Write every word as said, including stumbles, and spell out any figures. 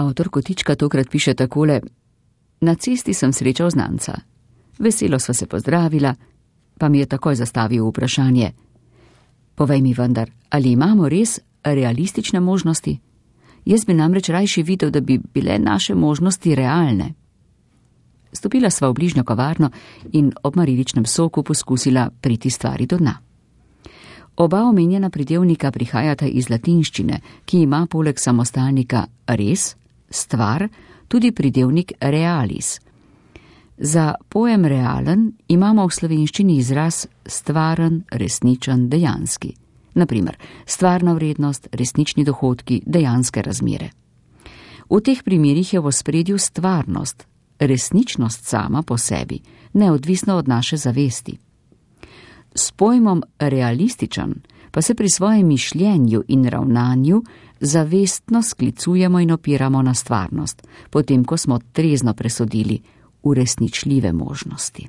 Avtor kotička tokrat piše takole: Na cesti sem srečal znanca. Veselo sva se pozdravila, pa mi je takoj zastavil vprašanje: Povej mi vendar, ali imamo res realistične možnosti? Jaz bi namreč rajši videl, da bi bile naše možnosti realne. Stopila sva v bližnjo kavarno in ob mariličnem soku poskusila priti stvari do dna. Oba omenjena pridevnika prihajata iz latinščine, ki ima poleg samostalnika res, stvar, tudi pridevnik realis. Za pojem realen imamo v slovenščini izraz stvaren, resničen, dejanski. Naprimer, stvarna vrednost, resnični dohodki, dejanske razmere. V teh primerih je v ospredju stvarnost, resničnost sama po sebi, neodvisno od naše zavesti. S pojmom realističen pa se pri svojem mišljenju in ravnanju zavestno sklicujemo in opiramo na stvarnost, potem ko smo trezno presodili uresničljive možnosti.